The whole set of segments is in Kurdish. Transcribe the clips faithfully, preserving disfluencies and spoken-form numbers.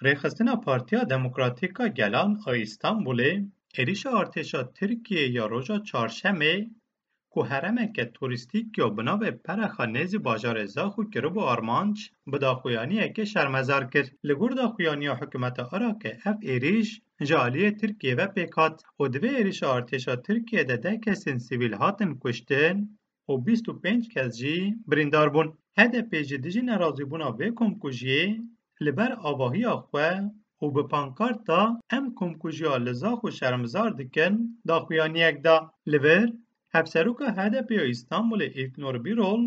Rêxistina Partiya Demokratîk a Gelan a Îstanbulê êrîşa artêşa Tirkiyê ya roja Çarşemê ku herêmeke turîstîk ya bi navê Perexa nêzî bajarê Zaxo kiribû armanc, bi daxuyaniyekê şermezar kir. Li gor daxuyaniya hikûmeta Iraqê ev êrîş ji aliyê Tirkiyê ve pêk hat û divê êrîşa artêşa Tirkiyê de deh kesên sivîl hatin kuştin û bîst û pênc kes jî birîndar bûn. H D P ji dijî nerazîbûna vê komkujiyê li ber avahiya xwe û bi pankarta "Em komkujiya li Zaxo şermizar dikin" daxuyaniyek da. Li vir, Hevseroka H D P ya Îstanbulê Îlknor Bîrol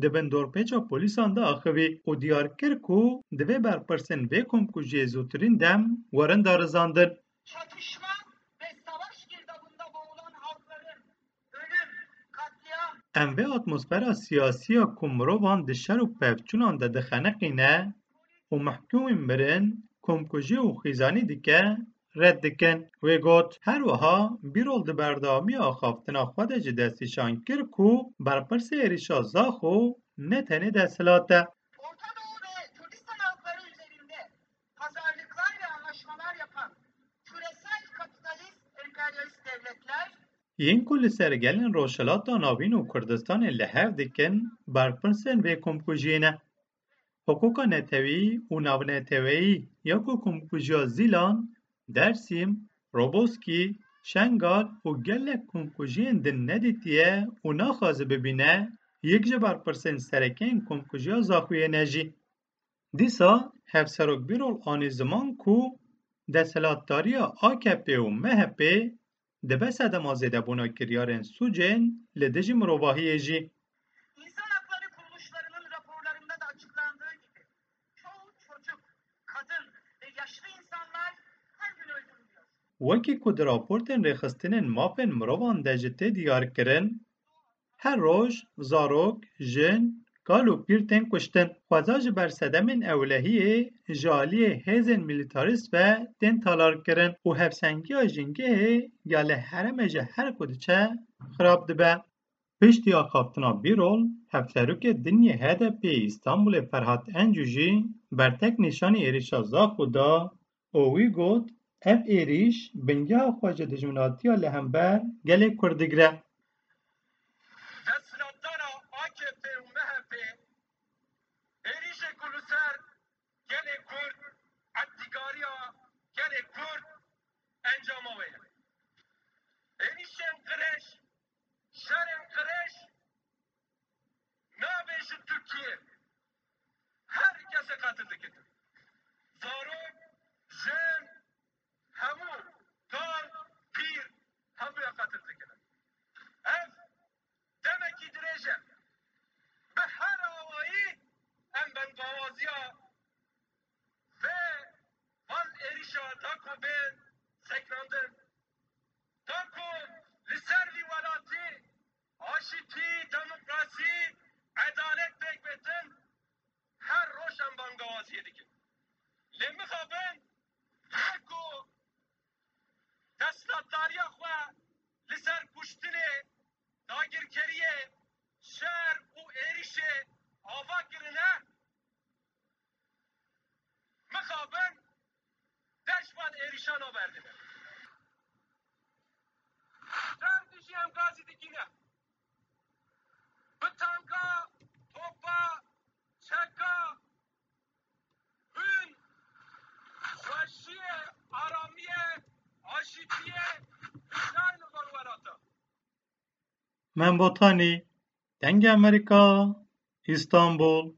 di bin dorpêça polîsan de axivî û diyar kir ku divê berpirsên vê komkujiyê zûtirîn dem werin darizandin. Çatışma ve savaş girdabında boğulan halkların ölüm, katliam, Em vê atmosfera siyasî ya ku mirovan di şer û pevçûnan de dixeniqîne û mehkûmên mirin, komkujî û xîzanî dike, red dikin. Wê got, her wiha Bîrol di berdewamiya axaftina xwe de jî destnîşan kir ku berpirsê êrîşa Zaxo ne tenê desthilat e. Orta Doğu ve Kürdistan halkları üzerinde pazarlıklar ve anlaşmalar yapan küresel kapitalist emperyalist devletler Yên ku li ser gelên Rojhilata Navîn û Kurdistanê li hev dikin, berpirsên vê komkujiyê ne. Hiqûqa neteweyî û navneteweyî ya ku komkujiya Zîlan, Dersîm, Roboskî, Şengal û gelek komkujiyên din nedîtiye û naxwaze bibîne, yek ji berpirsên sereke yên komkujiya Zaxoyê ne jî. Dîsa Hevserok Bîrol anî ziman ku desthilatdariya A K P û M H P dibe sedema zêdebûna kiryarên sûcên li dijî mirovahiyê jî. İnsan hakları kuruluşlarının raporlarında da açıklandığı gibi çoğu çocuk, kadın ve yaşlı insanlar her gün öldürülüyor. Wekî ku di raportên rêxistinên mafên mirovan de jî tê diyar kirin, her roj zarok, jin, kal û pîr tên kuştin. Xweza ji ber sedemên ewlehiyê ji aliyê hêzên milîtarîst ve tên talarkirin û hevsengiya jîngehê ya li herêmê ji her ku diçe xirab dibe. Piştî axaftina Bîrol, hevserokê din yê H D P yê Îstanbulê Ferhat Encû jî bertek nîşanî êrîşa Zaxo da û wî got, ev êrîş bingeha xwe ji dijminatiya li hember gelê Kurd digire. Desthilatdara A K P û M H P êrîşê ku li ser gelê Kurd, etdîgariya gelê Kurd encama wê ye. Êrîşên qirêj, şerên qirêj nabêjin Tirkiye. Her kesê qetil dikin. Zarok, jin, hemû, kal, pîr, hemûya qetil dikin. Ev demekî dirêj e. Bi her awayî em bengawaziya vê van êrîşa da ku bên sekinandin, da ku li ser vî welatî aşîtî, demokrasî, edalet pêk bêtin, her roj em bangawaziyê dikin. Lê mixabin, her ku desthilatdariya xwe li ser kuştinê, dagirkeriyê, şer û êrîşê ava kirine, mixabin deş van êrîşana berdine. Şer dijî em gazî dikîne. Bi tanka, topa, çeka, hûn, weşiyê, aramiyê, aşîtiyê, hêjayî li van welata. Mem Botanî, Dengê Amerîka, Îstanbul.